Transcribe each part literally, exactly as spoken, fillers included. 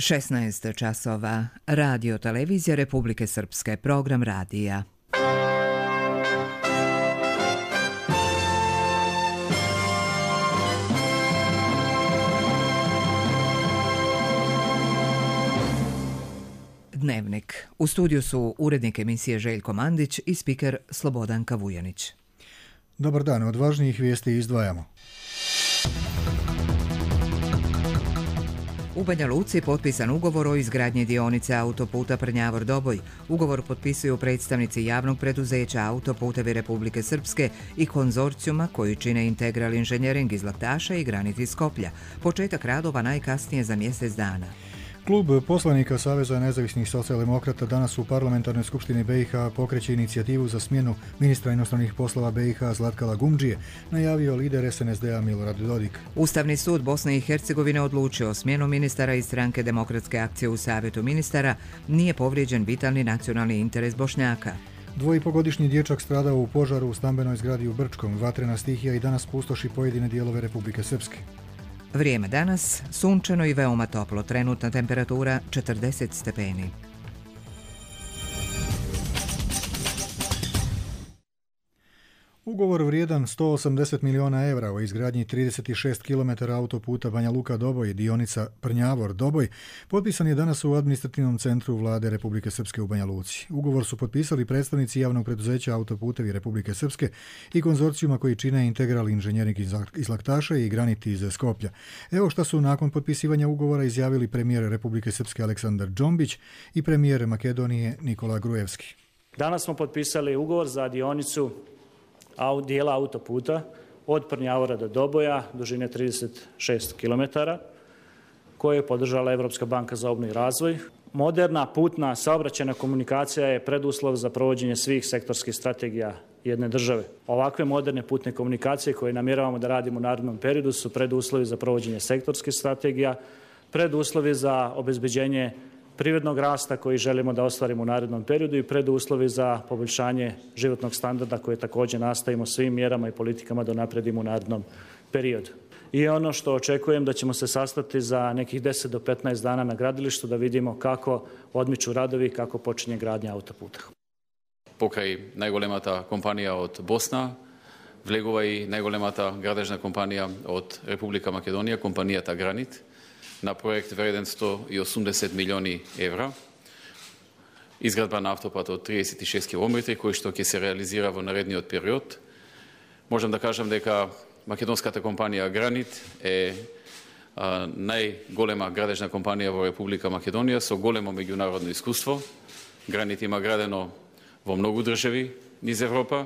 šesnaest časova. Radio televizija Republike Srpske, program radija. Dnevnik. U studiju su urednik emisije Željko Mandić i spiker Slobodanka Vujanić. Dobar dan, od važnijih vijesti izdvajamo. U Banja Luci potpisan ugovor o izgradnji dionice autoputa Prnjavor-Doboj. Ugovor potpisuju predstavnici javnog preduzeća Autoputevi Republike Srpske i konzorcijuma koji čine Integral Inženjering iz Laktaša i Granit iz Skoplja. Početak radova najkasnije za mjesec dana. Klub poslanika Saveza nezavisnih socijaldemokrata danas u Parlamentarnoj skupštini be i ha pokreće inicijativu za smjenu ministra inostranih poslova be i ha Zlatka Lagumdžije, najavio lider es en es de a Milorad Dodik. Ustavni sud Bosne i Hercegovine odlučio smjenu ministara iz stranke Demokratske akcije u Savjetu ministara, nije povrijeđen vitalni nacionalni interes Bošnjaka. Dvojipogodišnji dječak stradao u požaru u stambenoj zgradi u Brčkom. Vatrena stihija i danas pustoši pojedine dijelove Republike Srpske. Vrijeme danas, sunčano i veoma toplo, trenutna temperatura četrdeset stepeni. Ugovor vrijedan sto osamdeset milijuna evra o izgradnji trideset šest kilometara autoputa Banja Luka-Doboj, dionica Prnjavor-Doboj, potpisan je danas u administrativnom centru Vlade Republike Srpske u Banja Luci. Ugovor su potpisali predstavnici javnog preduzeća Autoputevi Republike Srpske i konzorcijuma koji čine Integral Inženjering iz Laktaša i Granit iz Skoplja. Evo šta su nakon potpisivanja ugovora izjavili premijer Republike Srpske Aleksandar Džombić i premijer Makedonije Nikola Grujevski. Danas smo potpisali ugovor za dionicu dijela autoputa od Prnjavora do Doboja, dužine trideset šest kilometara, koje je podržala Evropska banka za obnovu i razvoj. Moderna putna saobraćajna komunikacija je preduslov za provođenje svih sektorskih strategija jedne države. Ovakve moderne putne komunikacije koje namjeravamo da radimo u narednom periodu su preduslovi za provođenje sektorskih strategija, preduslovi za obezbeđenje privrednog rasta koji želimo da ostvarimo u narednom periodu i preduslovi za poboljšanje životnog standarda koje također nastavimo svim mjerama i politikama da napredimo u narednom periodu. I ono što očekujem da ćemo se sastati za nekih deset do petnaest dana na gradilištu da vidimo kako odmiču radovi i kako počinje gradnja autoputa. Pokraj najgolemata kompanija od Bosna, Vlegova i najgolemata gradežna kompanija od Republika Makedonija, kompanija ta Granit, na projekt vreden sto osemdeset milijoni evra. Izgradba na autoput od trideset šest kilometrov, koji što ki se realizira v naredni period. Možem da kažem, da makedonska ta kompanija Granit je a, najgolema gradežna kompanija v Republika Makedonija, so golemo međunarodno iskustvo. Granit ima gradeno v mnogo državi niz Evropa.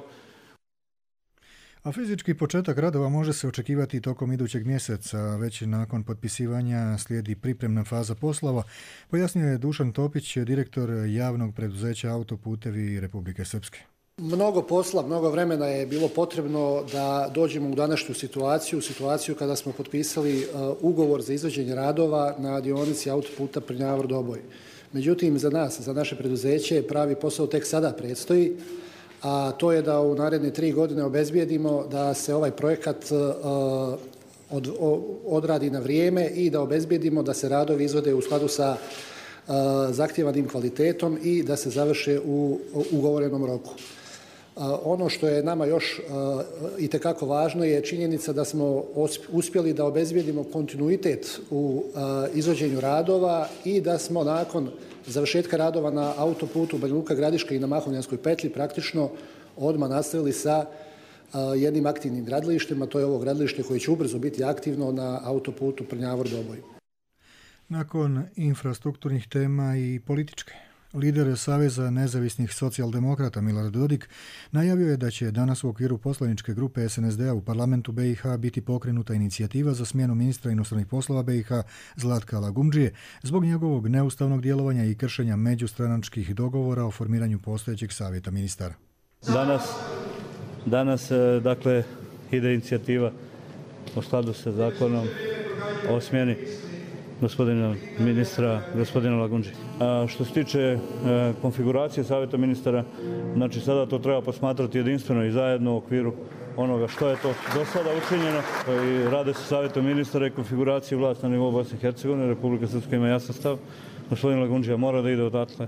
A fizički početak radova može se očekivati tokom idućeg mjeseca. Već nakon potpisivanja slijedi pripremna faza poslova, pojasnio je Dušan Topić, direktor javnog preduzeća Autoputevi Republike Srpske. Mnogo posla, mnogo vremena je bilo potrebno da dođemo u današnju situaciju, situaciju kada smo potpisali ugovor za izvođenje radova na dionici autoputa Prnjavor-Doboj. Međutim, za nas, za naše preduzeće, pravi posao tek sada predstoji, a to je da u naredne tri godine obezbijedimo da se ovaj projekat od, odradi na vrijeme i da obezbijedimo da se radovi izvode u skladu sa zahtjevanim kvalitetom i da se završe u ugovorenom roku. Ono što je nama još itekako važno je činjenica da smo uspjeli da obezbijedimo kontinuitet u izvođenju radova i da smo nakon završetka radova na autoputu Banja Luka-Gradiška i na Mahovljanskoj petlji praktično odmah nastavili sa jednim aktivnim gradilištem, a to je ovo gradilište koje će ubrzo biti aktivno na autoputu Prnjavor-Doboj. Nakon infrastrukturnih tema i političke, lider Saveza nezavisnih socijaldemokrata Milorad Dodik najavio je da će danas u okviru poslaničke grupe es en es de a u parlamentu be i ha biti pokrenuta inicijativa za smjenu ministra inostranih poslova be i ha Zlatka Lagumdžije zbog njegovog neustavnog djelovanja i kršenja međustranačkih dogovora o formiranju postojećeg savjeta ministara. Danas, danas dakle, ide inicijativa u skladu sa zakonom o smjeni gospodina ministra, gospodina Lagumdžije. A što se tiče e, konfiguracije savjeta ministara, znači sada to treba posmatrati jedinstveno i zajedno u okviru onoga što je to do sada učinjeno. I rade se savjetom ministara i konfiguraciji vlasti na nivou Bosne i Hercegovine. Republika Srpska ima jasan stav. Gospodin Lagundžija mora da ide odatle.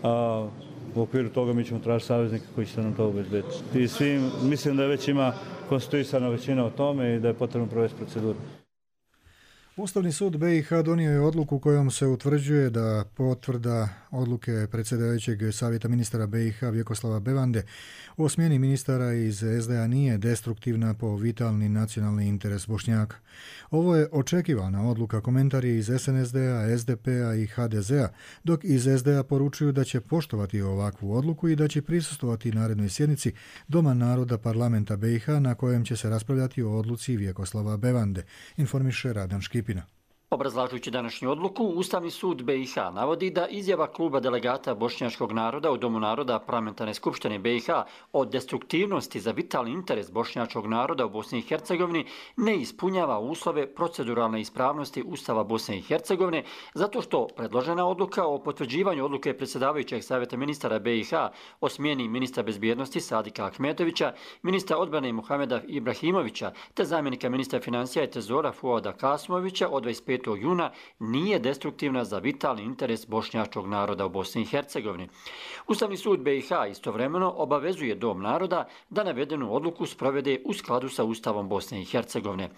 A u okviru toga mi ćemo tražiti saveznika koji će nam to obezbediti. I svim, mislim da već ima konstituisana većina o tome i da je potrebno provesti proceduru. Ustavni sud B i H donio je odluku kojom se utvrđuje da potvrda odluke predsjedavajućeg savjeta ministara B i H Vjekoslava Bevande o smjeni ministara iz S D A nije destruktivna po vitalni nacionalni interes Bošnjaka. Ovo je očekivana odluka, komentar je iz S N S D-a, S D P-a i H D Z-a, dok iz S D A poručuju da će poštovati ovakvu odluku i da će prisustvovati narednoj sjednici Doma naroda parlamenta B i H na kojem će se raspravljati o odluci Vjekoslava Bevande, informiše Radan Škipina. Obrazlažujući današnju odluku, Ustavni sud B i H navodi da izjava kluba delegata bošnjačkog naroda u Domu naroda Parlamentarne skupštine B i H o destruktivnosti za vitalni interes bošnjačkog naroda u Bosni i Hercegovini ne ispunjava uslove proceduralne ispravnosti Ustava Bosne i Hercegovine, zato što predložena odluka o potvrđivanju odluke predsjedavajućeg savjeta ministara B i H o smjeni ministra bezbjednosti Sadika Ahmetovića, ministra odbrane Muhameda Ibrahimovića te zamjenika ministra financija i trezora Fuada Kasmovića od dvadeset petog juna nije destruktivna za vitalni interes bošnjačkog naroda u Bosni i Hercegovini. Ustavni sud B i H istovremeno obavezuje Dom naroda da navedenu odluku sprovede u skladu sa Ustavom Bosne i Hercegovine.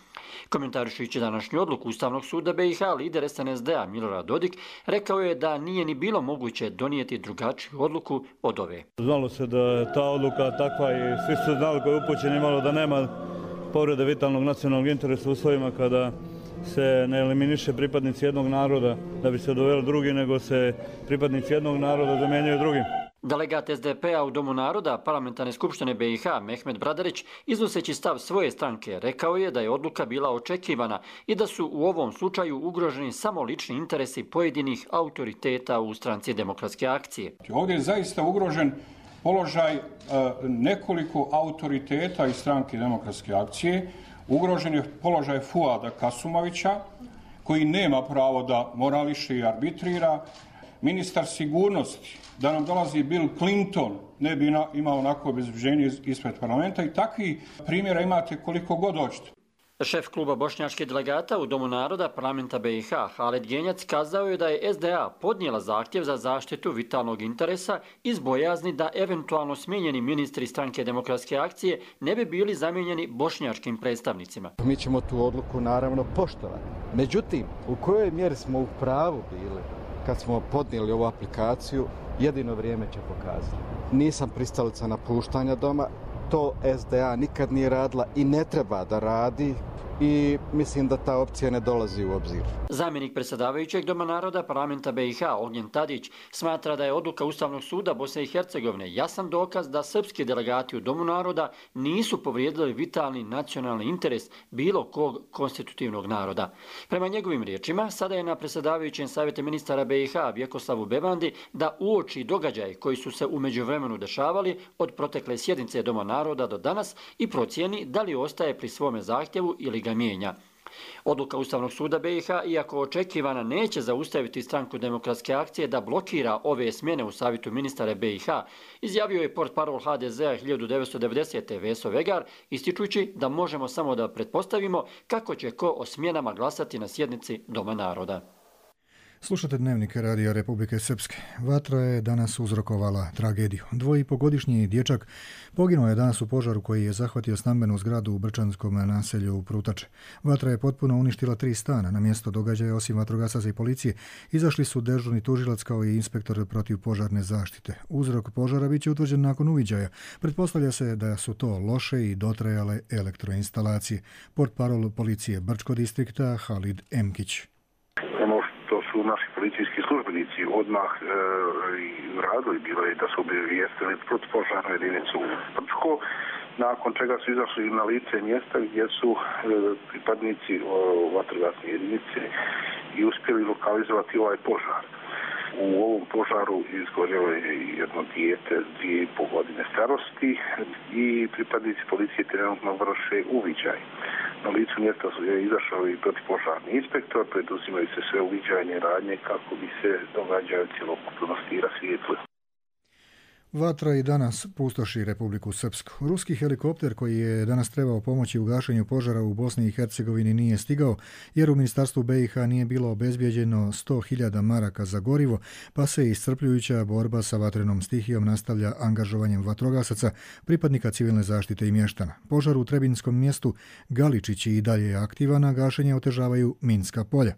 Komentarišujući današnju odluku Ustavnog suda B i H, lider S N S D-a Milorad Dodik rekao je da nije ni bilo moguće donijeti drugačiju odluku od ove. Znalo se da je ta odluka takva i svi su znali koji je upućen imalo da nema povrede vitalnog nacionalnog interesa u uslovima kada se ne eliminiše pripadnici jednog naroda da bi se doveli drugi, nego se pripadnici jednog naroda zamenjuju drugim. Delegat S D P-a u Domu naroda Parlamentarne skupštine B i H Mehmet Bradarić, iznoseći stav svoje stranke, rekao je da je odluka bila očekivana i da su u ovom slučaju ugroženi samo lični interesi pojedinih autoriteta u stranci Demokratske akcije. Ovdje je zaista ugrožen položaj nekoliko autoriteta iz stranke Demokratske akcije. Ugrožen je položaj Fuada Kasumovića, koji nema pravo da morališe i arbitrira. Ministar sigurnosti, da nam dolazi Bill Clinton, ne bi imao onako obezbeđenje ispred parlamenta i takvi primjera imate koliko god hoćete. Šef kluba bošnjačke delegata u Domu naroda Parlamenta B i H Haled Genjac kazao je da je S D A podnijela zahtjev za zaštitu vitalnog interesa iz bojazni da eventualno smijenjeni ministri stranke Demokratske akcije ne bi bili zamijenjeni bošnjačkim predstavnicima. Mi ćemo tu odluku naravno poštovati. Međutim, u kojoj mjeri smo u pravu bili kad smo podnijeli ovu aplikaciju, jedino vrijeme će pokazati. Nisam pristalica napuštanja doma. To S D A nikad nije radila i ne treba da radi i mislim da ta opcija ne dolazi u obzir. Zamjenik predsjedavajućeg Doma naroda Parlamenta B i H Ognjen Tadić smatra da je odluka Ustavnog suda Bosne i Hercegovine jasan dokaz da srpski delegati u Domu naroda nisu povrijedili vitalni nacionalni interes bilo kog konstitutivnog naroda. Prema njegovim riječima, sada je na predsjedavajućem savjetu ministara B i H Vjekoslavu Bevandi da uoči događaje koji su se u međuvremenu dešavali od protekle sjednice Doma naroda do danas i procijeni da li ostaje pri svome zahtjevu ili ga mijenja. Odluka Ustavnog suda B i H, iako očekivana, neće zaustaviti stranku Demokratske akcije da blokira ove smjene u savjetu ministara B i H, izjavio je portparol H D Z-a hiljadu devetsto devedesete. Veso Vegar, ističući da možemo samo da pretpostavimo kako će ko o smjenama glasati na sjednici Doma naroda. Slušate Dnevnik Radija Republike Srpske. Vatra je danas uzrokovala tragediju. Dvoipogodišnji dječak poginuo je danas u požaru koji je zahvatio stambenu zgradu u Brčanskom naselju u Prutače. Vatra je potpuno uništila tri stana. Na mjesto događaja, osim vatrogasaca i policije, izašli su dežurni tužilac kao i inspektor protiv požarne zaštite. Uzrok požara bit će utvrđen nakon uviđaja. Pretpostavlja se da su to loše i dotrajale elektroinstalacije. Portparol policije Brčko distrikta Halid Emkić. Naši policijski službenici odmah e, i radili bilo je da su obavijestili protupožarnu jedinicu u Brčko, nakon čega su izašli na lice mjesta gdje su e, pripadnici o, vatrogasne jedinice i uspjeli lokalizovati ovaj požar. U ovom požaru izgorjelo je jedno dijete dvije i pol godine starosti i pripadnici policije trenutno vrše uviđaj. Na licu mjesta je izašao i protipožarni inspektor, preduzimaju se sve uviđajne radnje kako bi se događaji cjelokupnosti rasvijetlili. Vatra i danas pustoši Republiku Srpsku. Ruski helikopter koji je danas trebao pomoći u gašenju požara u Bosni i Hercegovini nije stigao jer u Ministarstvu B i H nije bilo obezbijeđeno sto hiljada maraka za gorivo, pa se iscrpljujuća borba sa vatrenom stihijom nastavlja angažovanjem vatrogasaca, pripadnika civilne zaštite i mještana. Požar u Trebinskom mjestu Galičići i dalje je aktivan, a gašenje otežavaju minska polja.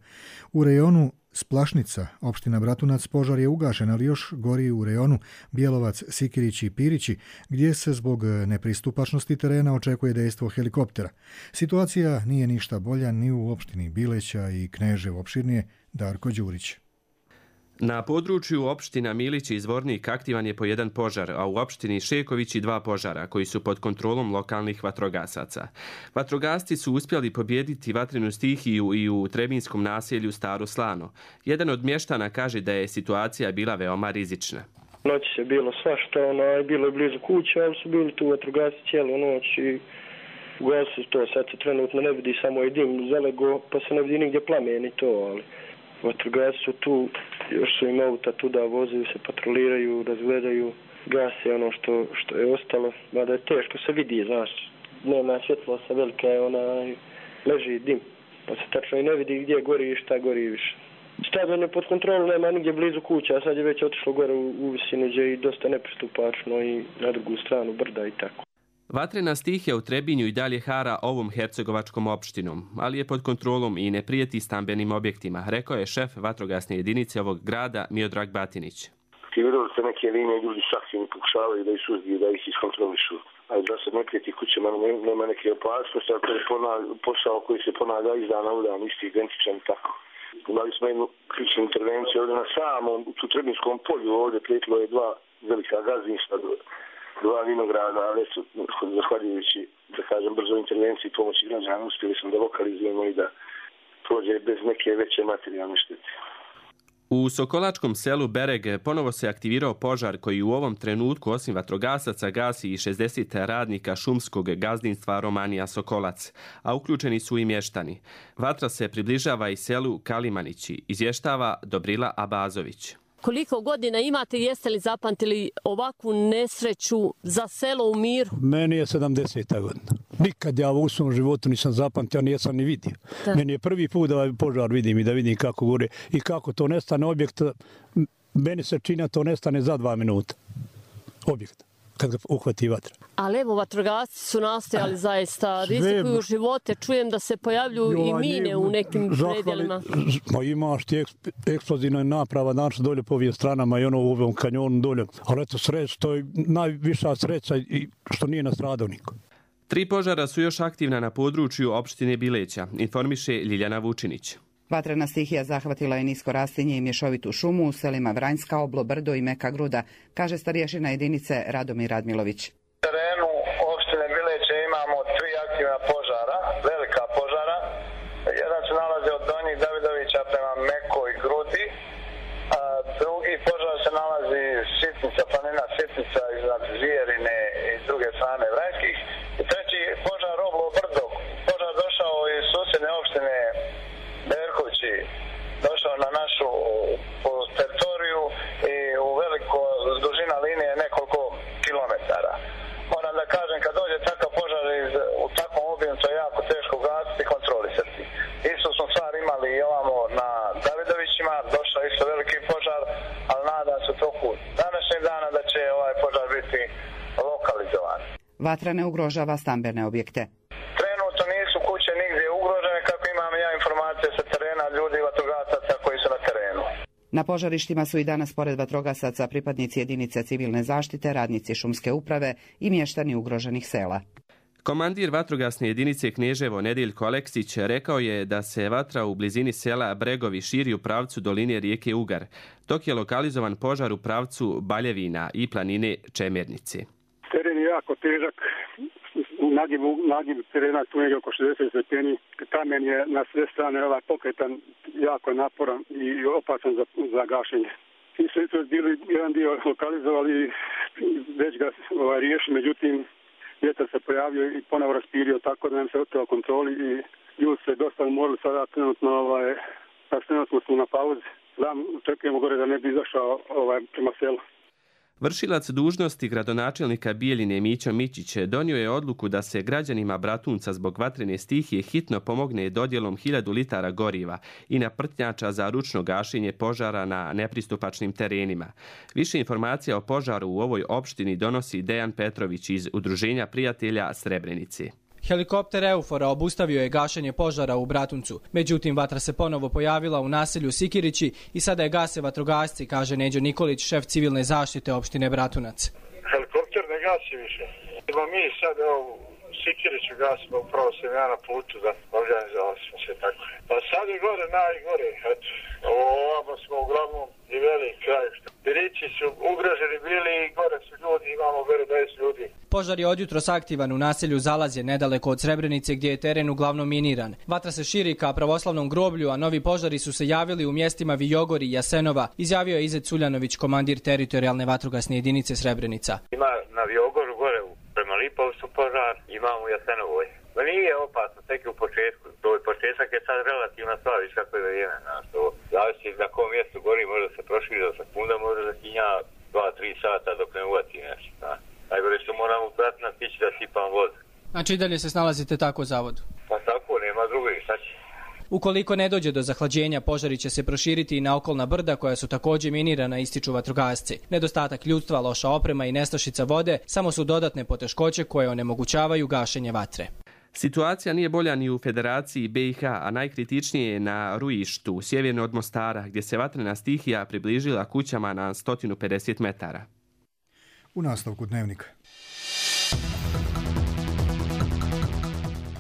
U rejonu Splašnica, opština Bratunac, požar je ugašen, ali još gori u rejonu Bjelovac, Sikirići i Pirići, gdje se zbog nepristupačnosti terena očekuje dejstvo helikoptera. Situacija nije ništa bolja ni u opštini Bileća i Kneževo, opširnije Darko Đurić. Na području opština Milić i Zvornik aktivan je po jedan požar, a u opštini Šeković i dva požara, koji su pod kontrolom lokalnih vatrogasaca. Vatrogasci su uspjeli pobijediti vatrenu stihiju i u Trebinskom naselju Staro Slano. Jedan od mještana kaže da je situacija bila veoma rizična. Noć je bilo svašta, ono, bilo je blizu kuće, ali su bili tu vatrogasci cijelu noć i ugasili to. Sad se trenutno ne vidi, samo je dim zalego, pa se ne vidi nigdje plameni to, ali vatrogasci su tu, još su im auta tuda, vozaju se, patroliraju, razgledaju, gase ono što, što je ostalo, mada je teško se vidi, znaš, nema svjetlosa velika je, ona leži dim, pa se tačno i ne vidi gdje gori i šta gori više. Stadion je pod kontrolom, nema nigdje blizu kuća, a sad je već otišlo gore u, u visinu gdje je dosta nepristupačno i na drugu stranu brda i tako. Vatrena stihija u Trebinju i dalje hara ovom hercegovačkom opštinom, ali je pod kontrolom i ne prijeti stambenim objektima, rekao je šef vatrogasne jedinice ovog grada Miodrag Batinić. Ti vidjeli ste neke linije, ljudi saksivno pokušavaju da ih suzbiju, da ih iskontrolišu. Ali da se ne prijeti kućama, nema neke opasnosti, ali to je posao koji se ponavlja iz dana u dan, isti identičan i tako. Imali smo jednu ključnu intervenciju ovdje na samom, u Trebinskom polju, ovdje prijetilo je dva velika gazdinstva, dva vinograda, ali su, zahvaljujući, da kažem, brzo intervenciji i pomoći građana, uspjeli smo da lokalizujemo i da prođe bez neke veće materijalne štete. U Sokolačkom selu Bereg ponovo se aktivirao požar koji u ovom trenutku osim vatrogasaca gasi i šezdeset radnika šumskog gazdinstva Romanija Sokolac, a uključeni su i mještani. Vatra se približava i selu Kalimanići, izvještava Dobrila Abazović. Koliko godina imate, jeste li zapamtili ovakvu nesreću za selo u miru? Meni je sedamdeseta godina. Nikad ja u svom životu nisam zapamtio, nisam ni vidio. Da. Meni je prvi put da požar vidim i da vidim kako gore i kako to nestane objekt. Meni se čini to nestane za dva minuta. Objekt, kad ga uhvati vatra. Ali evo, vatrogasci su nastojali zaista, rizikuju živote. Čujem da se pojavljuju i mine u nekim predjelima. Ma imaš ti eksplozivna naprava danas dolje po ovim stranama i ono u ovom kanjonu dolje. Ali eto sreća, to je najviša sreća i što nije nastradao niko. Tri požara su još aktivna na području opštine Bileća, informiše Ljiljana Vučinić. Vatrena stihija zahvatila je nisko rastinje i mješovitu šumu u selima Vranjska, Oblo, Brdo i Meka Gruda, kaže starješina jedinice Radomir Radmilović. U terenu opštine Bileće imamo tri aktivna požara, velika požara. Jedan se nalazi od Donjih Davidovića prema Mekoj Grudi, a drugi požar se nalazi Sitnica, planina Sitnica iznad Zvijerine i s druge strane Vranjskih. I treći požar Oblo, Brdo. Požar došao iz susjedne opštine Berkovići, došao na našu teritoriju i u veliko dužina linije nekoliko kilometara. Moram da kažem, kad dođe takav požar iz, u takvom obimu, to je jako teško gasiti i kontrolisati. Isto smo stvar imali i ovamo na Davidovićima, došao isto veliki požar, ali nadam se toku današnjeg dana da će ovaj požar biti lokalizovan. Vatra ne ugrožava stambene objekte. Trenutno nisu kuće nigdje ugrožene, kako imam ja informacije sa terena ljudi i vatrogasaca koji su na terenu. Na požarištima su i danas pored vatrogasaca pripadnici jedinice civilne zaštite, radnici šumske uprave i mještani ugroženih sela. Komandir vatrogasne jedinice Kneževo Nediljko Aleksić rekao je da se vatra u blizini sela Bregovi širi u pravcu doline rijeke Ugar, dok je lokalizovan požar u pravcu Baljevina i planine Čemernice. Teren je jako težak. Nagiv, nagiv terena tu negdje oko šezdeset stepeni. Kamen je na sve strane ovaj pokretan, jako naporan i opasan za, za gašenje. I sve to je bili jedan dio lokalizovali, već ga ovaj, riješi, međutim vjetar se pojavio i ponovo raspirio, tako da nam se oteo kontroli i ljudi se dosta umorili sada trenutno, ovaj, trenutno smo na pauzi. Znam, očekujemo gore da ne bi izašao ovaj, prema selu. Vršilac dužnosti gradonačelnika Bijeljine Mićo Mićić donio je odluku da se građanima Bratunca zbog vatrene stihije hitno pomogne dodjelom hiljadu litara goriva i naprtnjača za ručno gašenje požara na nepristupačnim terenima. Više informacija o požaru u ovoj opštini donosi Dejan Petrović iz Udruženja prijatelja Srebrenice. Helikopter Eufora obustavio je gašenje požara u Bratuncu. Međutim, vatra se ponovo pojavila u naselju Sikirići i sada je gase vatrogasci, kaže Neđo Nikolić, šef civilne zaštite opštine Bratunac. Helikopter ne gasi više. Ima mi sad evo, u Sikiriću gasimo, upravo sam ja na putu da organizovali smo se tako. Pa sad je gore najgore. Eto, ovamo smo uglavnom i velik kraj. Birići su ugroženi bili i gore su ljudi, imamo gore deset ljudi. Požar je odjutros aktivan u naselju Zalazje, nedaleko od Srebrenice, gdje je teren uglavnom miniran. Vatra se širi ka pravoslavnom groblju, a novi požari su se javili u mjestima Vijogori i Jasenova, izjavio je Izet Culjanović, komandir teritorijalne vatrogasne jedinice Srebrenica. Ima na Vijogoru gore prema Lipovcu požar, imamo u Jasenovoj. Ma nije opasno, tek u početku. To je početak je sad relativno slaviš kako je vrijeme. To zavisi na kom mjestu gori, može se proširi do sekunda, može da hinja dva do tri sata dok ne uvati nešto. Najgore što moramo pratiti na tići da sipam vodu. Znači i dalje se snalazite tako u zavodu? Pa tako, nema druge, šta će? Ukoliko ne dođe do zahlađenja, požari će se proširiti i na okolna brda koja su također minirana, ističu vatrogasci. Nedostatak ljudstva, loša oprema i nestašica vode samo su dodatne poteškoće koje onemogućavaju gašenje vatre. Situacija nije bolja ni u Federaciji B i H, a najkritičnije je na Rujištu, sjeverno od Mostara, gdje se vatrena stihija približila kućama na sto pedeset metara. U nastavku dnevnika.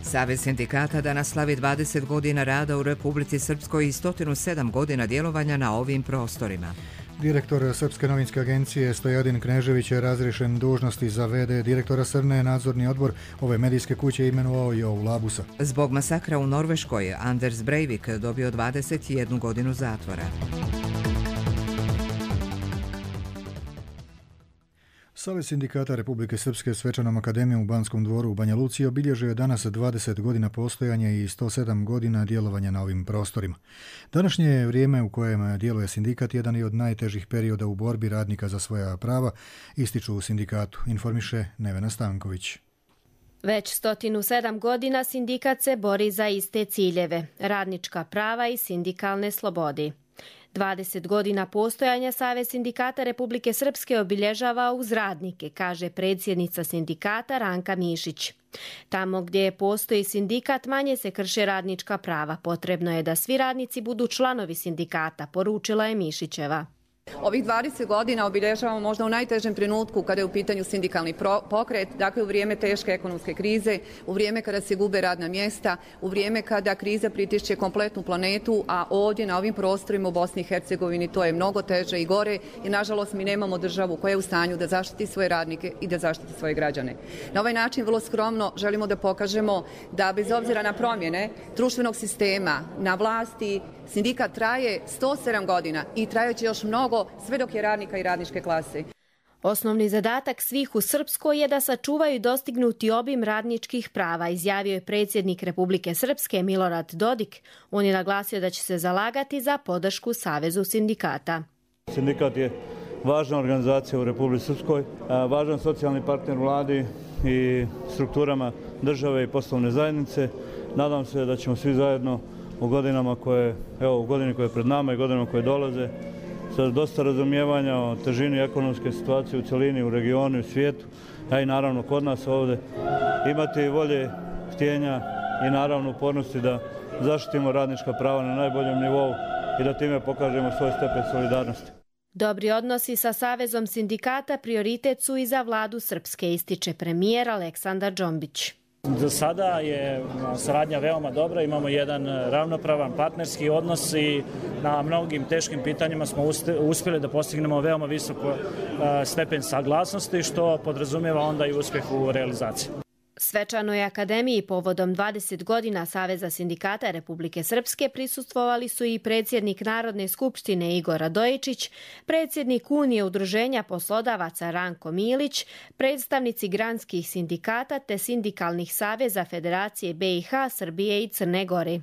Savez sindikata danas slavi dvadeset godina rada u Republici Srpskoj i sto sedam godina djelovanja na ovim prostorima. Direktor Srpske novinske agencije Stojadin Knežević je razriješen dužnosti za ve de direktora Srne. Nadzorni odbor ove medijske kuće imenovao Jovu Labusa. Zbog masakra u Norveškoj, Anders Breivik dobio dvadeset jednu godinu zatvora. Savez sindikata Republike Srpske svečanom akademijom u Banskom dvoru u Banja Luci obilježio je danas dvadeset godina postojanja i sto sedam godina djelovanja na ovim prostorima. Današnje je vrijeme u kojem djeluje sindikat jedan i od najtežih perioda u borbi radnika za svoja prava, ističu u sindikatu, informiše Nevena Stanković. Već sto sedam godina sindikat se bori za iste ciljeve, radnička prava i sindikalne slobode. dvadeset godina postojanja Savez sindikata Republike Srpske obilježava uz radnike, kaže predsjednica sindikata Ranka Mišić. Tamo gdje postoji sindikat manje se krše radnička prava. Potrebno je da svi radnici budu članovi sindikata, poručila je Mišićeva. Ovih dvadeset godina obilježavamo možda u najtežem trenutku kada je u pitanju sindikalni pokret, dakle u vrijeme teške ekonomske krize, u vrijeme kada se gube radna mjesta, u vrijeme kada kriza pritišće kompletnu planetu, a ovdje na ovim prostorima u Bosni i Hercegovini to je mnogo teže i gore i nažalost mi nemamo državu koja je u stanju da zaštiti svoje radnike i da zaštiti svoje građane. Na ovaj način vrlo skromno želimo da pokažemo da bez obzira na promjene društvenog sistema na vlasti sindikat traje sto sedam godina i trajeće još mnogo sve dok je radnika i radničke klase. Osnovni zadatak svih u Srpskoj je da sačuvaju dostignuti obim radničkih prava, izjavio je predsjednik Republike Srpske Milorad Dodik. On je naglasio da će se zalagati za podršku Savezu sindikata. Sindikat je važna organizacija u Republici Srpskoj, važan socijalni partner vladi i strukturama države i poslovne zajednice. Nadam se da ćemo svi zajedno u godinama koje, evo, u godini koje je pred nama i godinama koje dolaze, sa dosta razumijevanja o težini ekonomske situacije u celini, u regionu i u svijetu, a i naravno kod nas ovdje, imati volje, htjenja i naravno upornosti da zaštitimo radnička prava na najboljem nivou i da time pokažemo svoj stepen solidarnosti. Dobri odnosi sa Savezom sindikata prioritet su i za vladu Srpske, ističe premijer Aleksandar Džombić. Za sada je saradnja veoma dobra, imamo jedan ravnopravan partnerski odnos i na mnogim teškim pitanjima smo uspjeli da postignemo veoma visok stepen saglasnosti, što podrazumijeva onda i uspjeh u realizaciji. Svečanoj akademiji povodom dvadeset godina Saveza sindikata Republike Srpske prisustvovali su i predsjednik Narodne skupštine Igor Radojičić, predsjednik Unije udruženja poslodavaca Ranko Milić, predstavnici granskih sindikata te sindikalnih saveza Federacije B i H, Srbije i Crne Gore.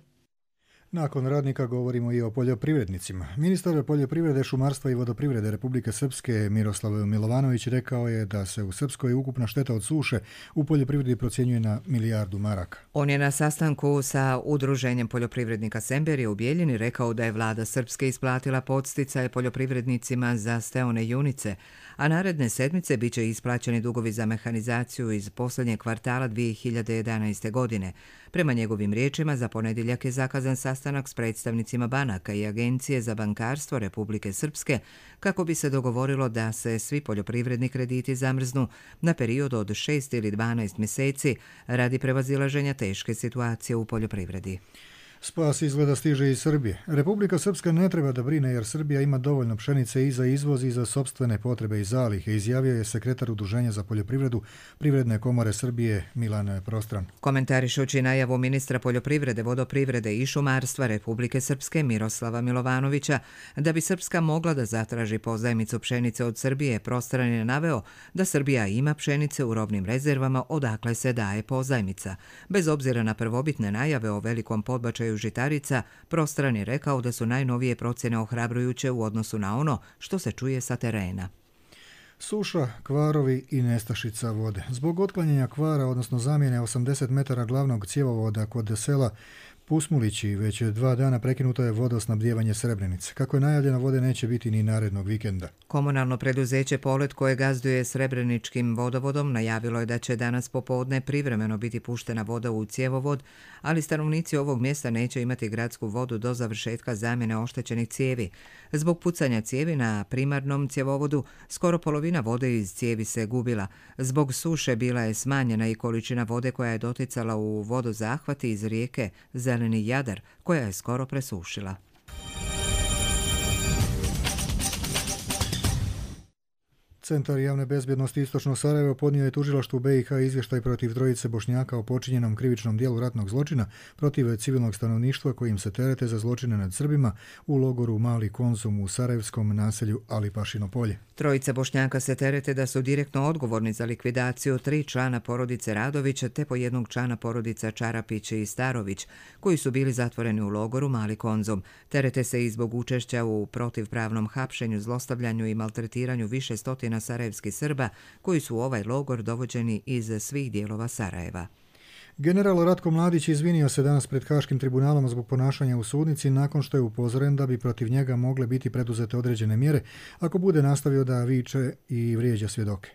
Nakon radnika govorimo i o poljoprivrednicima. Ministar poljoprivrede, šumarstva i vodoprivrede Republike Srpske Miroslav Milovanović rekao je da se u Srpskoj ukupna šteta od suše u poljoprivredi procjenjuje na milijardu maraka. On je na sastanku sa Udruženjem poljoprivrednika Semberije u Bijeljini rekao da je vlada Srpske isplatila podsticaje poljoprivrednicima za steone junice, a naredne sedmice bit će isplaćeni dugovi za mehanizaciju iz posljednjeg kvartala dvije hiljade jedanaeste. godine. Prema njegovim riječima, za ponedjeljak je zakazan sastanak s predstavnicima banaka i Agencije za bankarstvo Republike Srpske kako bi se dogovorilo da se svi poljoprivredni krediti zamrznu na period od šest ili dvanaest mjeseci radi prevazilaženja teške situacije u poljoprivredi. Spas izgleda stiže iz Srbije. Republika Srpska ne treba da brine jer Srbija ima dovoljno pšenice i za izvoz i za sopstvene potrebe i zalihe, izjavio je sekretar Udruženja za poljoprivredu Privredne komore Srbije Milan Prostran. Komentarišući najavu ministra poljoprivrede, vodoprivrede i šumarstva Republike Srpske Miroslava Milovanovića da bi Srpska mogla da zatraži pozajmicu pšenice od Srbije, Prostran je naveo da Srbija ima pšenice u robnim rezervama odakle se daje pozajmica. Bez obzira na prvobitne najave o velikom podbačaju žitarica, Prostran je rekao da su najnovije procjene ohrabrujuće u odnosu na ono što se čuje sa terena. Suša, kvarovi i nestašica vode. Zbog otklanjanja kvara, odnosno zamjene osamdeset metara glavnog cjevovoda kod sela Pusmulići, već dva dana prekinuto je vodosnabdijevanje Srebrenice. Kako je najavljeno, vode neće biti ni narednog vikenda. Komunalno preduzeće Polet, koje gazduje Srebreničkim vodovodom, najavilo je da će danas popodne privremeno biti puštena voda u cjevovod, ali stanovnici ovog mjesta neće imati gradsku vodu do završetka zamjene oštećenih cijevi. Zbog pucanja cijevi na primarnom cjevovodu, skoro polovina vode iz cijevi se gubila. Zbog suše bila je smanjena i količina vode koja je doticala u vodozahvati iz rijeke Zeleni Jadar, koja je skoro presušila. Centar javne bezbjednosti Istočno Sarajevo podnio je tužilaštvu B i H izvještaj protiv trojice Bošnjaka o počinjenom krivičnom dijelu ratnog zločina protiv civilnog stanovništva kojim se terete za zločine nad Srbima u logoru Mali Konzum u sarajevskom naselju Alipašino polje. Trojica Bošnjaka se terete da su direktno odgovorni za likvidaciju tri člana porodice Radović te po jednog člana porodica Čarapić i Starović, koji su bili zatvoreni u logoru Mali Konzum. Terete se i zbog učešća u protivpravnom hapšenju, zlostavljanju i maltretiranju više stotina sarajevskih Srba koji su u ovaj logor dovođeni iz svih dijelova Sarajeva. General Ratko Mladić izvinio se danas pred Haškim tribunalom zbog ponašanja u sudnici nakon što je upozoren da bi protiv njega mogle biti preduzete određene mjere ako bude nastavio da viče i vrijeđa svjedoke.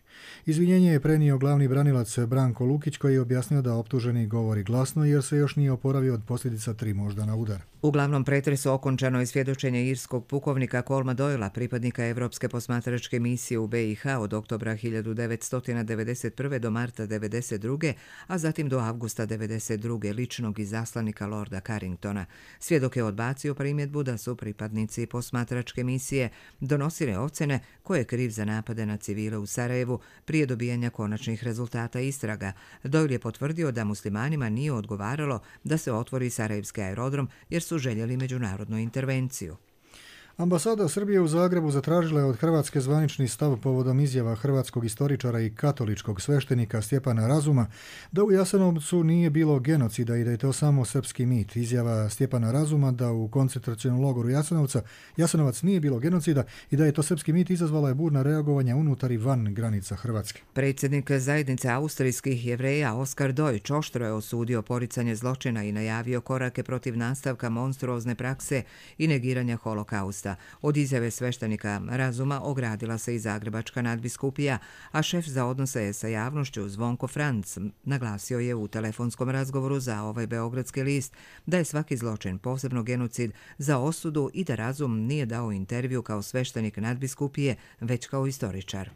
Izvinjenje je prenio glavni branilac Branko Lukić koji je objasnio da optuženi govori glasno jer se još nije oporavio od posljedica tri moždana udara. U glavnom pretresu okončano je svjedočenje irskog pukovnika Kolma Doyla, pripadnika Evropske posmatračke misije u B i H od oktobra hiljadu devetsto devedeset prve do marta devedeset druge, a zatim do avgusta devedeset druge ličnog izaslanika Lorda Carringtona. Svjedok je odbacio primjedbu da su pripadnici posmatračke misije donosili ocjene ko je kriv za napade na civile u Sarajevu prije dobijanja konačnih rezultata istraga. Doyle je potvrdio da muslimanima nije odgovaralo da se otvori sarajevski aerodrom jer su željeli međunarodnu intervenciju. Ambasada Srbije u Zagrebu zatražila je od Hrvatske zvanični stav povodom izjava hrvatskog istoričara i katoličkog sveštenika Stjepana Razuma da u Jasenovcu nije bilo genocida i da je to samo srpski mit. Izjava Stjepana Razuma da u koncentracionom logoru Jasenovca Jasenovac nije bilo genocida i da je to srpski mit izazvala je burna reagovanja unutar i van granica Hrvatske. Predsjednik zajednice austrijskih Jevreja Oskar Deutsch oštro je osudio poricanje zločina i najavio korake protiv nastavka monstruozne prakse i negiranja holokausta. Od izjave sveštenika Razuma ogradila se i Zagrebačka nadbiskupija, a šef za odnose sa javnošću Zvonko Franc naglasio je u telefonskom razgovoru za ovaj beogradski list da je svaki zločin, posebno genocid, za osudu i da Razum nije dao intervju kao sveštenik nadbiskupije, već kao istoričar.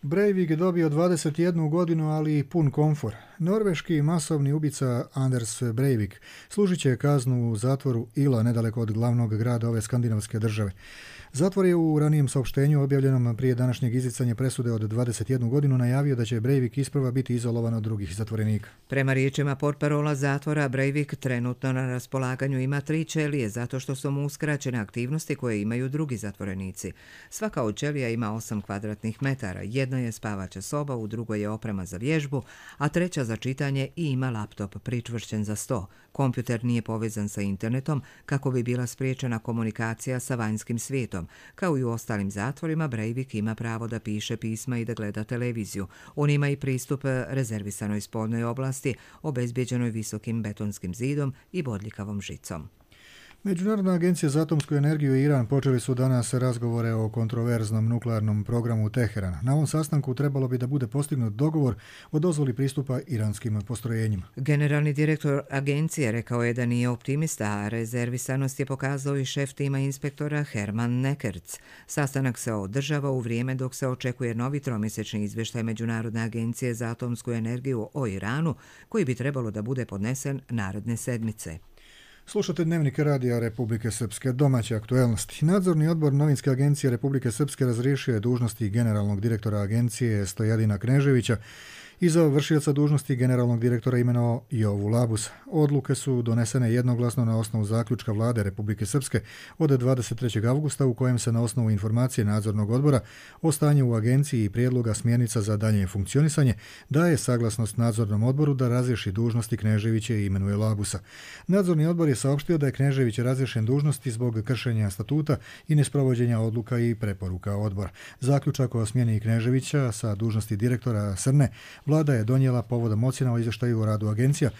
Breivik je dobio dvadeset jednu godinu, ali i pun komfor. Norveški masovni ubica Anders Breivik služit će kaznu u zatvoru Ila, nedaleko od glavnog grada ove skandinavske države. Zatvor je u ranijem saopštenju objavljenom prije današnjeg izricanja presude od dvadeset jednu godinu najavio da će Breivik isprva biti izolovan od drugih zatvorenika. Prema riječima portparola zatvora, Breivik trenutno na raspolaganju ima tri ćelije zato što su mu uskraćene aktivnosti koje imaju drugi zatvorenici. Svaka od ćelija ima osam kvadratnih metara, jedna je spavaća soba, u drugoj je oprema za vježbu, a treća za čitanje i ima laptop pričvršćen za sto. Kompjuter nije povezan sa internetom kako bi bila spriječena komunikacija sa vanjskim svijetom. Kao i u ostalim zatvorima, Breivik ima pravo da piše pisma i da gleda televiziju. On ima i pristup rezervisanoj spoljnoj oblasti, obezbjeđenoj visokim betonskim zidom i bodljikavom žicom. Međunarodna agencija za atomsku energiju i Iran počeli su danas razgovore o kontroverznom nuklearnom programu Teherana. Na ovom sastanku trebalo bi da bude postignut dogovor o dozvoli pristupa iranskim postrojenjima. Generalni direktor agencije rekao je da nije optimista, a rezervisanost je pokazao i šef tima inspektora Herman Nekerc. Sastanak se održava u vrijeme dok se očekuje novi tromjesečni izvještaj Međunarodne agencije za atomsku energiju o Iranu, koji bi trebalo da bude podnesen naredne sedmice. Slušate Dnevnik radija Republike Srpske, domaće aktuelnosti. Nadzorni odbor Novinske agencije Republike Srpske razriješio je dužnosti generalnog direktora agencije Stojadina Kneževića i za vršioca dužnosti generalnog direktora imenovao Jovu Labusa. Odluke su donesene jednoglasno na osnovu zaključka vlade Republike Srpske od dvadeset trećeg avgusta u kojem se na osnovu informacije nadzornog odbora o stanju u agenciji i prijedloga smjernica za dalje funkcionisanje daje saglasnost nadzornom odboru da razriješi dužnosti Kneževića i imenuje Labusa. Nadzorni odbor je saopštio da je Knežević razriješen dužnosti zbog kršenja statuta i nesprovođenja odluka i preporuka odbora. Zaključak o smjeni Kneževića sa dužnosti direktora Srne vlada je donijela povodom ocjena o izvještaju o radu agencija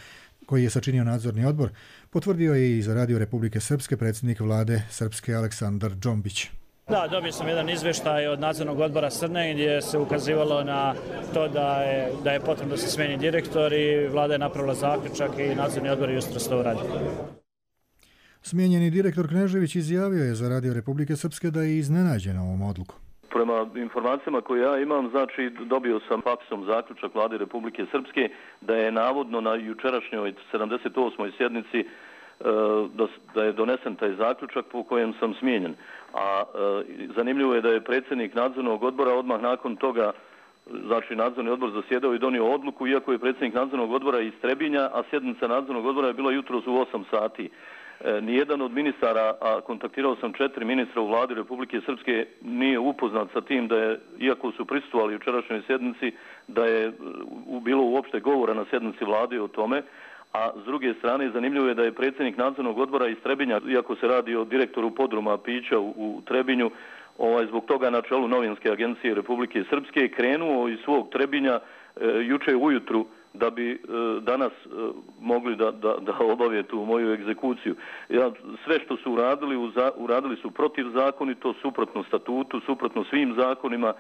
koji je sačinio nadzorni odbor, potvrdio je i za Radio Republike Srpske predsjednik vlade Srpske Aleksandar Džombić. Da, dobio sam jedan izvještaj od nadzornog odbora Srne gdje se ukazivalo na to da je, da je potrebno da se smijeni direktor i vlada je napravila zaključak i nadzorni odbor je jutros to uradio. Smijenjeni direktor Knežević izjavio je za Radio Republike Srpske da je iznenađen ovom odlukom. Prema informacijama koje ja imam, znači dobio sam faksom zaključak vlade Republike Srpske da je navodno na jučerašnjoj sedamdeset osmoj sjednici da je donesen taj zaključak po kojem sam smijenjen. A zanimljivo je da je predsjednik nadzornog odbora odmah nakon toga, znači nadzorni odbor zasjedao i donio odluku, iako je predsjednik nadzornog odbora iz Trebinja, a sjednica nadzornog odbora je bila jutros u osam sati. Nijedan od ministara, a kontaktirao sam četiri ministra u vladi Republike Srpske, nije upoznat sa tim da je, iako su prisustvovali jučerašnjoj sjednici, da je bilo uopšte govora na sjednici vlade o tome. A s druge strane, zanimljivo je da je predsjednik nadzornog odbora iz Trebinja, iako se radi o direktoru podruma pića u, u Trebinju, ovaj, zbog toga na čelu Novinske agencije Republike Srpske krenuo iz svog Trebinja e, juče ujutru da bi e, danas e, mogli da, da, da obave tu moju egzekuciju. Ja, sve što su uradili, uza, uradili su protivzakonito, suprotno statutu, suprotno svim zakonima.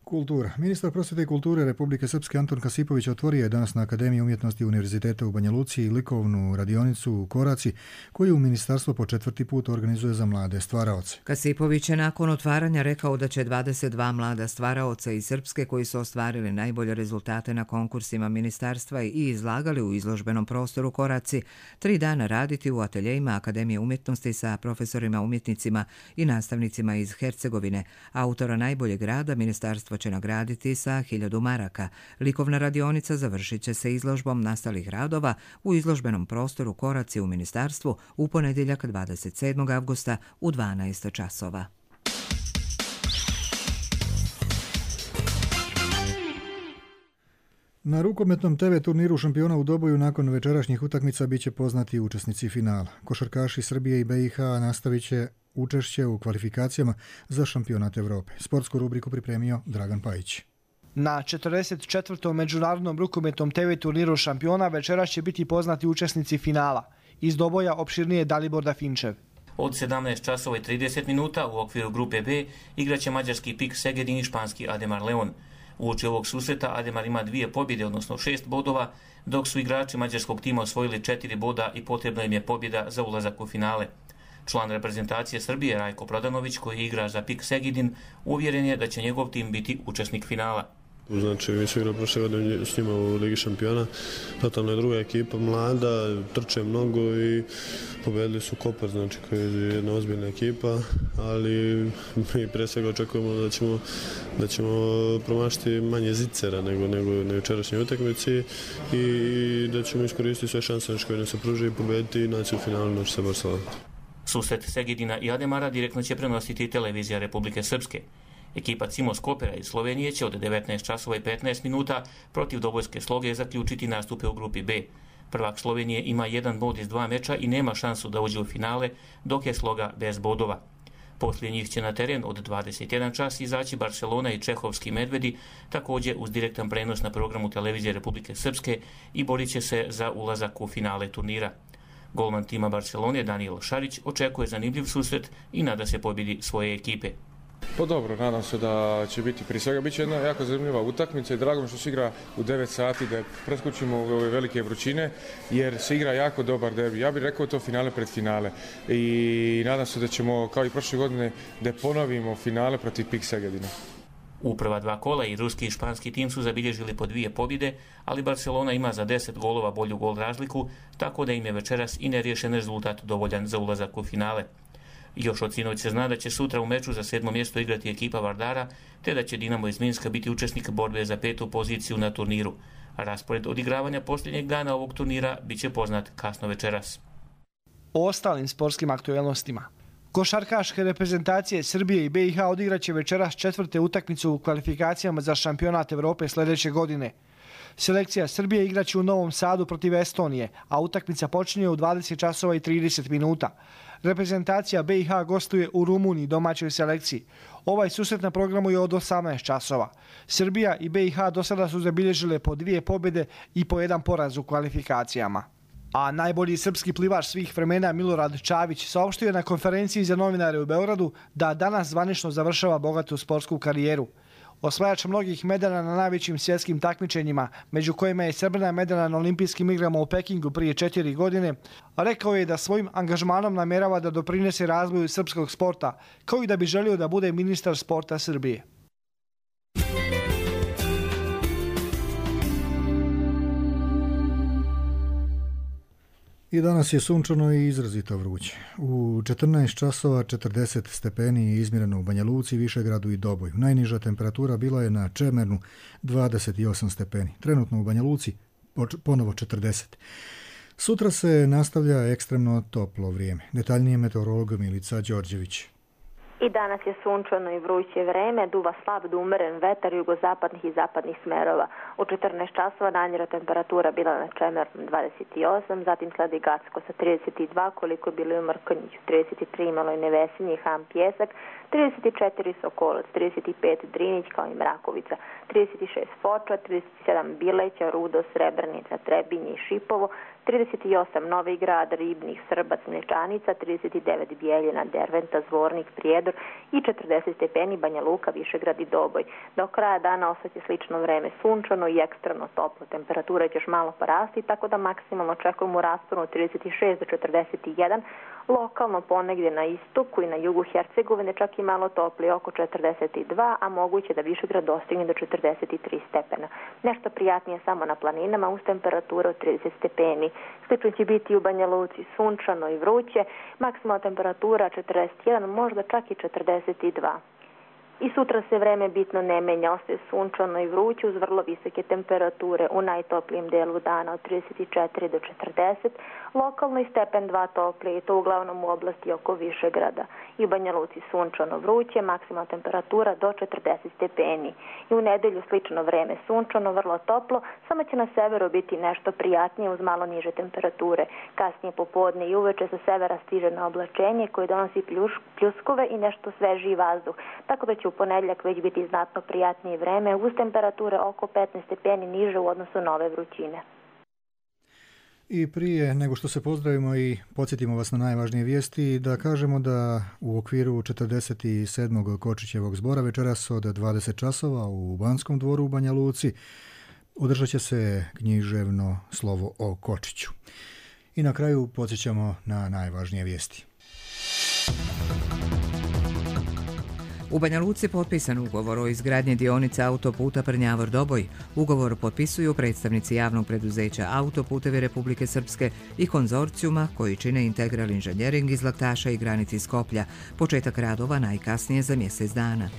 Kultura. Ministar prosvjete i kulture Republike Srpske Anton Kasipović otvorio je danas na Akademiji umjetnosti Univerziteta u Banja Luci likovnu radionicu u Koraci, koju ministarstvo po četvrti put organizuje za mlade stvaraoce. Kasipović je nakon otvaranja rekao da će dvadeset dva mlada stvaraoca iz Srpske koji su ostvarili najbolje rezultate na konkursima ministarstva i izlagali u izložbenom prostoru Koraci tri dana raditi u ateljejima Akademije umjetnosti sa profesorima umjetnicima i nastavnicima iz Hercegovine. Autora najboljeg rada ministarstvo će nagraditi sa hiljadu maraka. Likovna radionica završit će se izložbom nastalih radova u izložbenom prostoru Koraci u ministarstvu u ponedjeljak dvadeset sedmog avgusta u dvanaest časova. Na rukometnom te ve turniru šampiona u Doboju nakon večerašnjih utakmica biće poznati učesnici finala. Košarkaši Srbije i be i ha nastavit će učešće u kvalifikacijama za šampionat Evrope. Sportsku rubriku pripremio Dragan Pajić. Na četrdeset četvrtom međunarodnom rukometnom te ve turniru šampiona večeras će biti poznati učesnici finala. Iz Doboja opširnije Dalibor Dafinčev. Od sedamnaest časova i trideset minuta u okviru grupe B igraće mađarski Pik Segedin i španski Ademar Leon. Uoči ovog susreta Ademar ima dvije pobjede, odnosno šest bodova, dok su igrači mađarskog tima osvojili četiri boda i potrebna im je pobjeda za ulazak u finale. Član reprezentacije Srbije Rajko Prodanović, koji igra za Pik Segedin, uvjeren je da će njegov tim biti učesnik finala. Znači, mi smo igrali prošle godine s njima u Ligi šampiona, totalno je druga ekipa, mlada, trče mnogo i pobedili su Kopar, znači koja je jedna ozbiljna ekipa, ali mi pre svega očekujemo da ćemo, da ćemo promašiti manje zicera nego, nego na jučerašnjoj utakmici i da ćemo iskoristiti sve šanse koje nam se pruže i pobediti i naći u finalu noći sa Barcelonom. Susret Segedina i Ademara direktno će prenositi televizija Republike Srpske. Ekipa Cimos Kopera iz Slovenije će od devetnaest časova i petnaest minuta protiv Dobojske Sloge zaključiti nastupe u grupi B. Prvak Slovenije ima jedan bod iz dva meča i nema šansu da uđe u finale, dok je Sloga bez bodova. Poslije njih će na teren od dvadeset jedan čas izaći Barcelona i Čehovski Medvedi, također uz direktan prenos na programu televizije Republike Srpske i borit će se za ulazak u finale turnira. Golman tima Barcelone Daniel Šarić očekuje zanimljiv susret i nada se pobjedi svoje ekipe. Pa dobro, nadam se da će biti prije svega bit će jedna jako zanimljiva utakmica i drago mi što se igra u devet sati, da preskočimo ove velike vrućine jer se igra jako dobar derbi. Ja bih rekao to finale pred finale i nadam se da ćemo kao i prošle godine da ponovimo finale protiv Pik Segedina. U prva dva kola i ruski i španski tim su zabilježili po dvije pobjede, ali Barcelona ima za deset golova bolju gol razliku, tako da im je večeras i neriješen rezultat dovoljan za ulazak u finale. Još od sinoć se zna da će sutra u meču za sedmo mjesto igrati ekipa Vardara, te da će Dinamo iz Minska biti učesnik borbe za petu poziciju na turniru. Raspored odigravanja posljednjeg dana ovog turnira bit će poznat kasno večeras. O ostalim sportskim aktualnostima. Košarkaške reprezentacije Srbije i B i H odigraće večeras četvrte utakmicu u kvalifikacijama za šampionat Evrope sljedeće godine. Selekcija Srbije igraće u Novom Sadu protiv Estonije, a utakmica počinje u dvadeset časova i trideset minuta. Reprezentacija B i H gostuje u Rumuniji domaćoj selekciji. Ovaj susret na programu je od osamnaest časova. Srbija i B i H do sada su zabilježile po dvije pobjede i po jedan poraz u kvalifikacijama. A najbolji srpski plivač svih vremena Milorad Čavić saopštio je na konferenciji za novinare u Beogradu da danas zvanično završava bogatu sportsku karijeru. Osvajač mnogih medalja na najvećim svjetskim takmičenjima, među kojima je srebrna medalja na olimpijskim igrama u Pekingu prije četiri godine, rekao je da svojim angažmanom namjerava da doprinese razvoju srpskog sporta, kao i da bi želio da bude ministar sporta Srbije. I danas je sunčano i izrazito vruće. U četrnaest časova četrdeset stepeni je izmjereno u Banja Luci, Višegradu i Doboju. Najniža temperatura bila je na Čemernu dvadeset osam stepeni. Trenutno u Banja Luci ponovo četrdeset. Sutra se nastavlja ekstremno toplo vrijeme. Detaljnije meteorolog Milica Đorđević. I danas je sunčano i vruće vreme, duva slab do umeren vetar jugozapadnih i zapadnih smerova. U četrnaest časova najniža temperatura bila na Čemernu dvadeset osam, zatim sledi Gacko sa trideset dva, koliko je bilo i u Mrkonjiću, trideset tri Maloj Nevesinje i Ham Pjesak, trideset četiri Sokolac, trideset pet Drinić kao i Mrakovica, trideset šest Foča, trideset sedam Bileća, Rudo, Srebrenica, Trebinje i Šipovo, trideset osam Novi Grad, Ribnik, Srbac, Mlečanica, trideset devet Bijeljina, Derventa, Zvornik, Prijedor i četrdeset stepeni Banja Luka, Višegrad i Doboj. Do kraja dana ostaće slično vreme, sunčano i ekstremno toplo. Temperatura će još malo porasti, tako da maksimalno očekujemo u rasponu trideset šest do četrdeset jedan, lokalno ponegdje na istoku i na jugu Hercegovine čak i malo toplije, oko četrdeset dva, a moguće da Višegrad dostigne do četrdeset tri stepena. Nešto prijatnije samo na planinama uz temperaturu od trideset stepeni. Slično će biti u Banja Luci, sunčano i vruće, maksimalna temperatura četrdeset jedan, možda čak i četrdeset dva. I sutra se vreme bitno ne menja, ostaje sunčano i vruće uz vrlo visoke temperature u najtoplijem delu dana od trideset četiri do četrdeset, lokalno i stepen dva toplije i to uglavnom u oblasti oko Višegrada. I u Banja Luci sunčano vruće, maksimalna temperatura do četrdeset stepeni. I u nedelju slično vreme sunčano, vrlo toplo, samo će na severu biti nešto prijatnije uz malo niže temperature. Kasnije popodne i uveče sa severa stiže na oblačenje koje donosi pljuskove i nešto svežiji vazduh, tako da će u ponedjeljak već biti znatno prijatnije vreme uz temperature oko petnaest stepeni niže u odnosu na ove vrućine. I prije nego što se pozdravimo i podsjetimo vas na najvažnije vijesti, da kažemo da u okviru četrdeset sedmog Kočićevog zbora večeras od dvadeset časova u Banskom dvoru u Banja Luci održat će se književno slovo o Kočiću. I na kraju podsjećamo na najvažnije vijesti. U Banja Luci potpisan ugovor o izgradnji dionice autoputa Prnjavor-Doboj. Ugovor potpisuju predstavnici javnog preduzeća Autoputevi Republike Srpske i konzorcijuma koji čine Integral Inženjering iz Laktaša i granici Skoplja. Početak radova najkasnije za mjesec dana.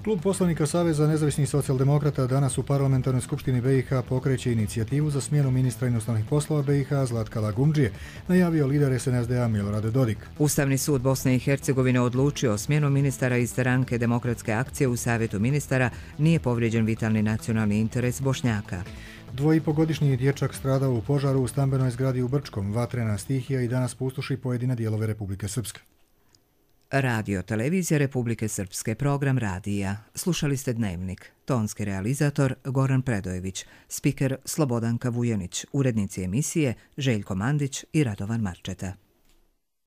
Klub poslanika Saveza nezavisnih socijaldemokrata danas u parlamentarnoj skupštini B i H pokreće inicijativu za smjenu ministra inostranih poslova B i H Zlatka Lagundžije, najavio lider S N S D A Milorad Dodik. Ustavni sud Bosne i Hercegovine odlučio o smjenu ministara iz stranke Demokratske akcije u Savjetu ministara, nije povrijeđen vitalni nacionalni interes Bošnjaka. Dvojipogodišnji dječak stradao u požaru u stambenoj zgradi u Brčkom. Vatrena stihija i danas pustoši pojedine dijelove Republike Srpske. Radio Televizija Republike Srpske, program radija. Slušali ste Dnevnik. Tonski realizator Goran Predojević, spiker Slobodanka Vujanić, urednici emisije Željko Mandić i Radovan Marčeta.